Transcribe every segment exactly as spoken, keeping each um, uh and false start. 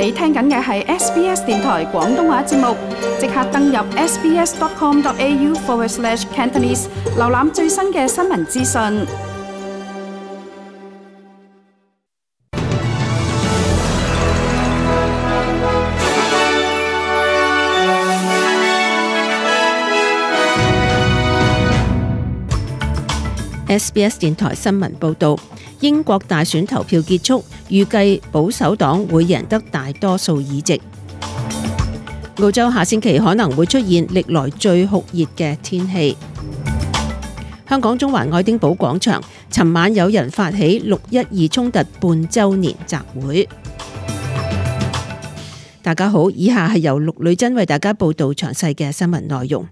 你聽緊嘅係 S B S 電台廣東話節目，即刻登入 sbs.com.au forward slash Cantonese， 瀏覽最新嘅新聞資訊。S B S 電台新聞報導，英國大選投票結束，預計保守黨會贏得大多數議席。澳洲下星期可能會出現歷來最酷熱嘅天氣。香港中環愛丁堡廣場，尋晚有人發起六一二衝突半週年集會。大家好，以下係由陸女珍為大家報道詳細嘅新聞內容。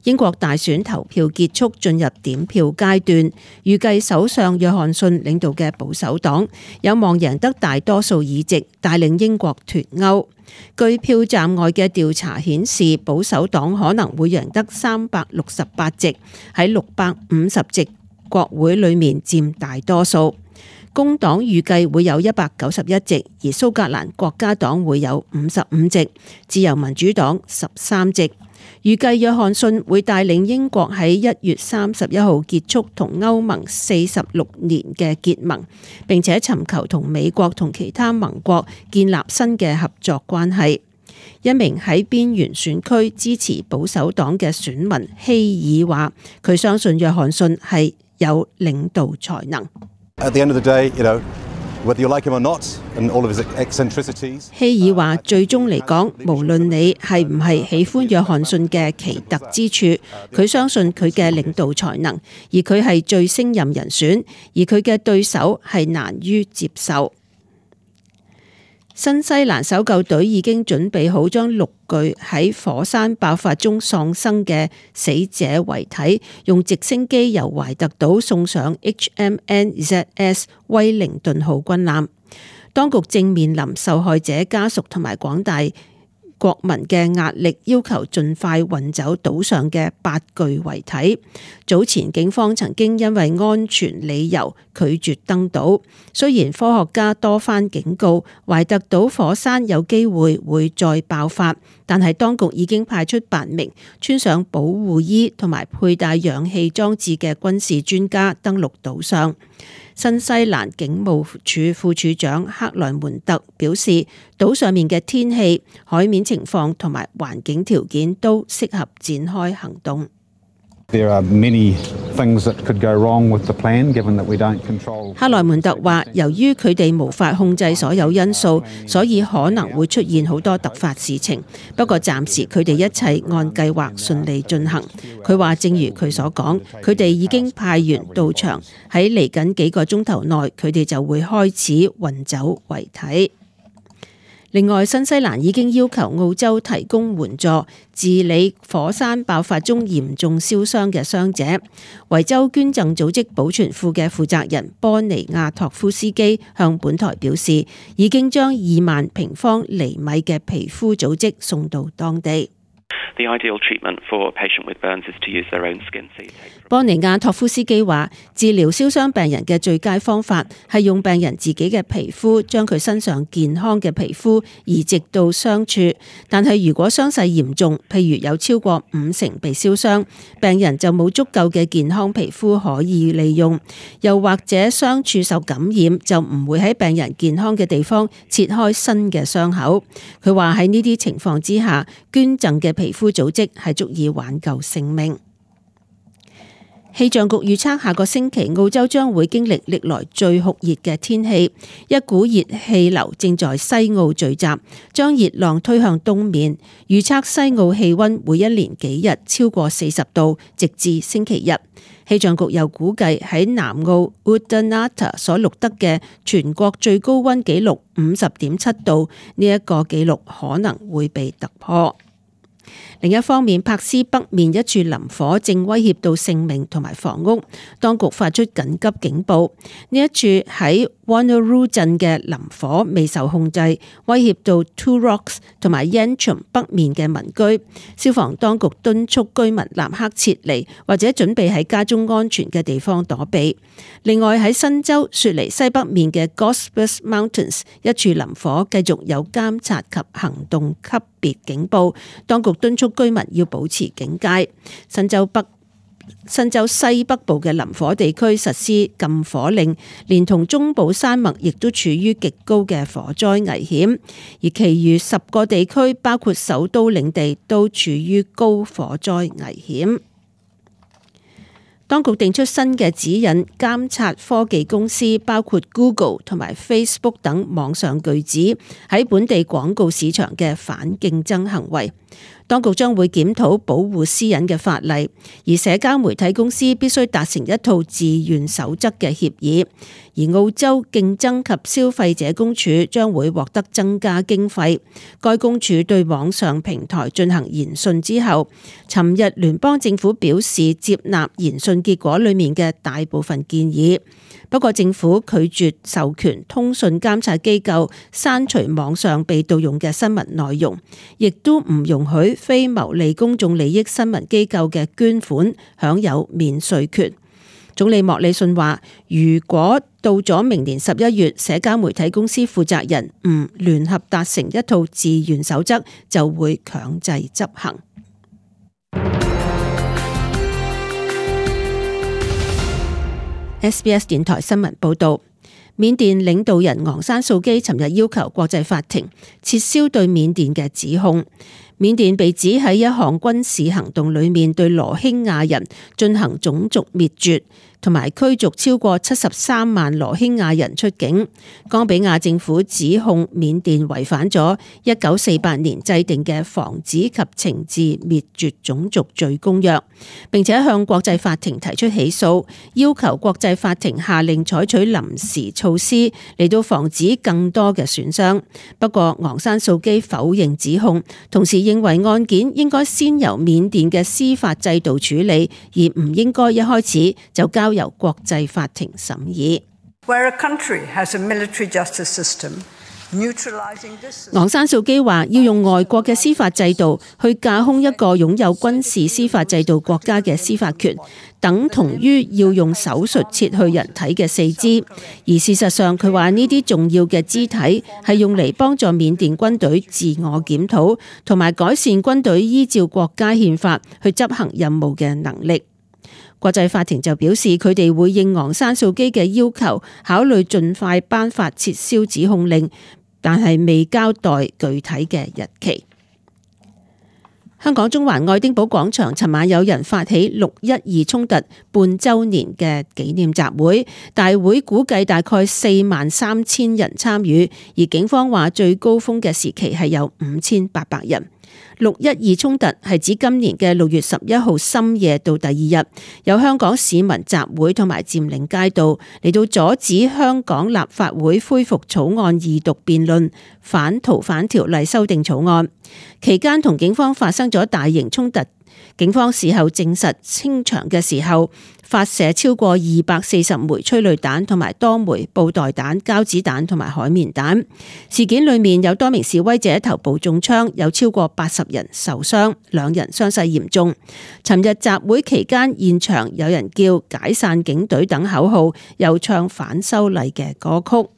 英國大選投票結束，進入點票階段，預計首相約翰遜領導嘅保守黨有望贏得大多數議席，帶領英國脫歐。據票站外嘅調查顯示，保守黨可能會贏得三百六十八席，喺六百五十席國會裏面佔大多數。工黨預計會有一百九十一席，而蘇格蘭國家黨會有五十五席，自由民主黨十三席。預計約翰遜會帶領英國喺一月三十一號結束同歐盟四十六年嘅結盟，並且尋求同美國同其他盟國建立新嘅合作關係。一名喺邊緣選區支持保守黨嘅選民希爾話，佢相信約翰遜係有領導才能。At the end of the day, you know, whether you like him or not, and all of his eccentricities. 希爾話：最終嚟講，無論你係唔係喜歡約翰遜嘅奇特之處，佢相信佢嘅領導才能，而佢係最勝任人選，而佢嘅對手係難於接受。新西蘭搜救隊已經準備好將六具喺火山爆發中喪生嘅死者遺體，用直升機由懷特島送上 H M N Z S 威靈頓號軍艦。當局正面臨受害者家屬同埋廣大國民嘅壓力，要求盡快運走島上嘅八具遺體。早前警方曾經因為安全理由拒絕登島，雖然科學家多番警告懷特島火山有機會會再爆發，但係當局已經派出八名穿上保護衣同埋佩戴氧氣裝置嘅軍事專家登陸島上。新西蘭警務處副處長克萊門特表示，島上面嘅天氣、海面情況同埋環境條件都適合展開行動。There are many things that could go wrong with the plan, given that we don't control. 克萊門特話，由於佢哋無法控制所有因素，所以可能會出現好多突發事情。不過暫時佢哋一切按計劃順利進行。佢話，正如佢所講，佢哋已經派員到場，喺嚟緊幾個鐘頭內，佢哋就會開始運走遺體。另外，新西蘭已經要求澳洲提供援助，治理火山爆發中嚴重燒傷嘅傷者。維州捐贈組織保存庫嘅負責人波尼亞托夫斯基向本台表示，已經將二萬平方厘米嘅皮膚組織送到當地。波尼亞托夫斯基話，治療燒傷病人嘅最佳方法係用病人自己嘅皮膚將佢身上健康嘅皮膚移植到傷處，但係如果傷勢嚴重，譬如有超過五成被燒傷，病人就冇足夠嘅健康皮膚可以利用，又或者傷處受感染，就唔會喺病人健康嘅地方切開新嘅傷口。佢話喺呢啲情況之下，捐贈嘅皮膚組織係足以挽救性命。氣象局預測下個星期澳洲將會經歷歷來最酷熱嘅天氣，一股熱氣流正在西澳聚集，將熱浪推向東面。預測西澳氣溫會一連幾日超過四十度，直至星期日。氣象局又估計喺南澳 Woodanata 所錄得嘅全國最高溫紀錄五十點七度，呢一個紀錄可能會被突破。另一方面，柏斯北面一處林火正威脅到性命同埋房屋，當局發出緊急警報。呢一處喺 Wanneroo 鎮嘅林火未受控制，威脅到 Two Rocks 同埋 Yentram 北面嘅民居。消防當局敦促居民立刻撤離，或者準備喺家中安全嘅地方躲避。另外喺新州雪梨西北面嘅 Gospers Mountains 一處林火繼續有監察及行動級別警報，當局敦促居民要保持警戒。新州北、新州西北部嘅林火地區實施禁火令，連同中部山脈亦都處於極高嘅火災危險，而其餘十個地區包括首都領地都處於高火災危險。當局定出新嘅指引，監察科技公司包括 Google 同埋 Facebook 等網上巨子喺本地廣告市場嘅反競爭行為。當局將會檢討保護私隱嘅法例，而社交媒體公司必須達成一套自願守則嘅協議。而澳洲競爭及消費者公署將會獲得增加經費。該公署對網上平台進行研訊之後，尋日聯邦政府表示接納研訊結果裡面嘅大部分建議。不過政府拒絕授權通訊監察機構刪除網上被盜用嘅新聞內容，亦都唔容許非牟利公眾利益新聞機構嘅捐款享有免稅權。總理莫里遜話，如果到咗明年十一月，社交媒體公司負責人唔聯合達成一套自願守則，就會強制執行。S B S 電台新聞報道，緬甸領導人昂山素基尋日要求國際法庭撤銷對緬甸嘅指控。緬甸被指喺一項軍事行動裏面對羅興亞人進行種族滅絕，同埋驅逐超過七十三萬羅興亞人出境。岡比亞政府指控緬甸違反咗一九四八年制定嘅防止及懲治滅絕種族罪公約，並且向國際法庭提出起訴，要求國際法庭下令採取臨時措施嚟到防止更多嘅損傷。不過昂山素基否認指控，同時認為案件應該先由緬甸嘅司法制度處理，而唔應該一開始就交由國際法庭審議。昂山素基話要用外國嘅司法制度去架空一個擁有軍事司法制度國家嘅司法權，等同於要用手術切去人體嘅四肢。而事實上，佢話呢啲重要嘅肢體係用嚟幫助緬甸軍隊自我檢討，同埋改善軍隊依照國家憲法去執行任務嘅能力。國際法庭就表示，佢哋會應昂山素基嘅要求，考慮盡快頒發撤銷指控令，但係未交代具體嘅日期。香港中環愛丁堡廣場尋晚有人發起六一二衝突半週年嘅紀念集會，大會估計大概四萬三千人參與，而警方話最高峰嘅時期係有五千八百人。六一二衝突係指今年嘅六月十一號深夜到第二日，有香港市民集會同埋佔領街道，嚟到阻止香港立法會恢復草案二讀辯論反逃犯條例修訂草案。期間同警方發生咗大型衝突，警方事後證實清場嘅時候發射超過二百四十枚催淚彈同埋多枚布袋彈、膠子彈同埋海綿彈。事件裏面有多名示威者頭部中槍，有超過八十人受傷，兩人傷勢嚴重。尋日集會期間，現場有人叫解散警隊等口號，又唱反修例嘅歌曲。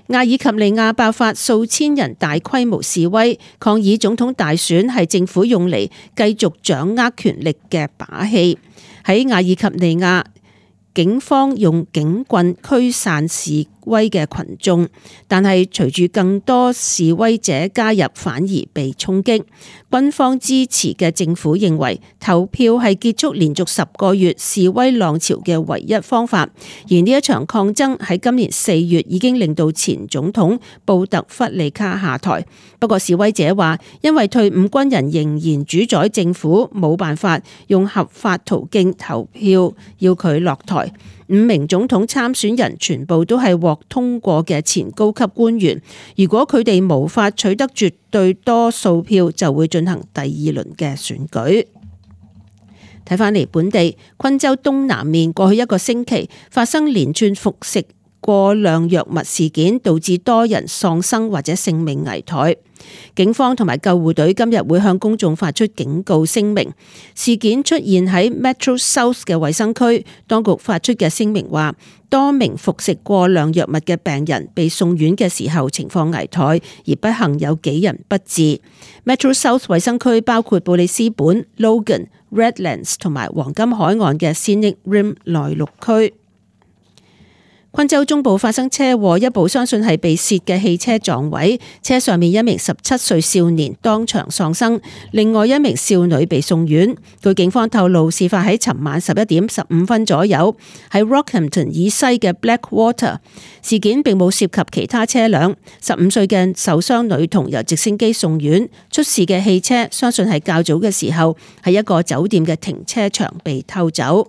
阿爾及利亞爆發數千人大規模示威，抗議總統大選係政府用嚟繼續掌握權力嘅把戲。喺阿爾及利亞，警方用警棍驅散示威嘅群眾，但係隨住更多示威者加入，反而被衝擊。軍方支持嘅政府認為投票係結束連續十個月示威浪潮嘅唯一方法，而呢一場抗爭喺今年四月已經令到前總統布特弗利卡下台。不過示威者話，因為退伍軍人仍然主宰政府，冇辦法用合法途徑投票要佢落台。來，五名總統參選人全部都係獲通過嘅前高級官員。如果佢哋無法取得絕對多數票，就會進行第二輪嘅選舉。睇返嚟本地，昆州東南面過去一個星期發生連串服食過量藥物事件，導致多人喪生或者性命危殆。警方同埋救護隊今日會向公眾發出警告聲明。事件出現喺 Metro South 嘅衛生區，當局發出嘅聲明話，多名服食過量藥物嘅病人被送院嘅時候情況危殆，而不幸有幾人不治。Metro South 衛生區包括布里斯本、Logan、Redlands 同埋黃金海岸嘅 Scenic Rim 內陸區。昆州中部發生車禍，一部相信係被竊嘅汽車撞毀，車上面一名十七歲少年當場喪生，另外一名少女被送院。據警方透露，事發喺尋晚十一點十五分左右，喺 Rockhampton 以西嘅 Blackwater。事件並冇涉及其他車輛。十五歲嘅受傷女童由直升機送院。出事嘅汽車相信係較早嘅時候喺一個酒店嘅停車場被偷走。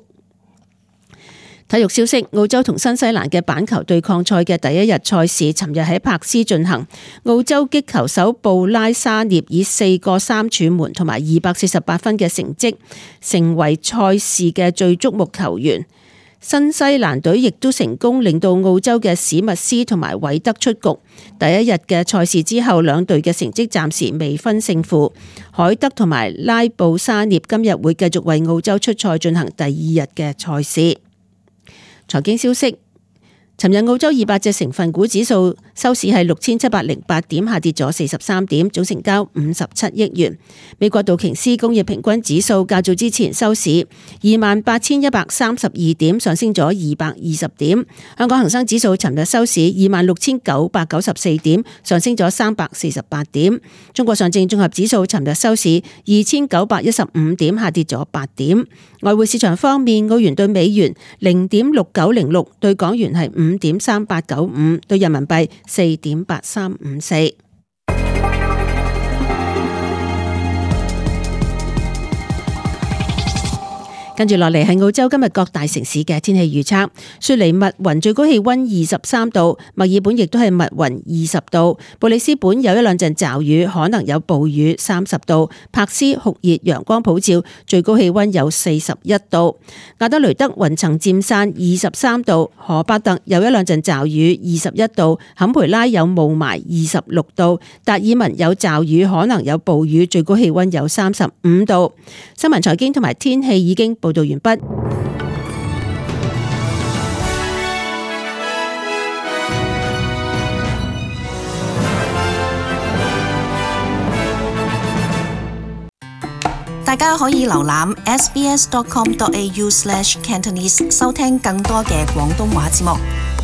體育消息，澳洲同新西蘭嘅板球對抗賽嘅第一日賽事，尋日喺柏斯進行。澳洲擊球手布拉沙涅以四個三柱門同埋二百四十八分嘅成績，成為賽事嘅最矚目球員。新西蘭隊亦都成功令到澳洲嘅史密斯同埋韋德出局。第一日嘅賽事之後，兩隊嘅成績暫時未分勝負。海德同埋拉布沙涅今日會繼續為澳洲出賽進行第二日嘅賽事。財經消息，尋日澳洲二百隻成分股指數收市係六千七百零八點，下跌咗四十三點，總成交五十七億元。美國道瓊斯工業平均指數較早之前收市二萬八千一百三十二點，上升咗二百二十點。香港恒生指數尋日收市二萬六千九百九十四點，上升咗三百四十八點。中國上證綜合指數尋日收市二千九百一十五點，下跌咗八點。外匯市場方面，澳元對美元零點六九零六，對港元係五點三八九五，對人民幣四點八三五四。跟住落嚟係澳洲今日各大城市嘅天氣預測。雪梨密雲最高氣溫二十三度，墨爾本亦都係密雲二十度，布里斯本有一兩陣驟雨，可能有暴雨三十度，柏斯酷熱陽光普照，最高氣溫有四十一度。亞德雷德雲層漸散二十三度，荷伯特有一兩陣驟雨二十一度，坎培拉有霧霾二十六度，達爾文有驟雨可能有暴雨，最高氣溫有三十五度。新聞財經同埋天氣已經報道完畢。大家可以瀏覽 s b s dot com dot a u slash cantonese 收聽更多嘅廣東話節目。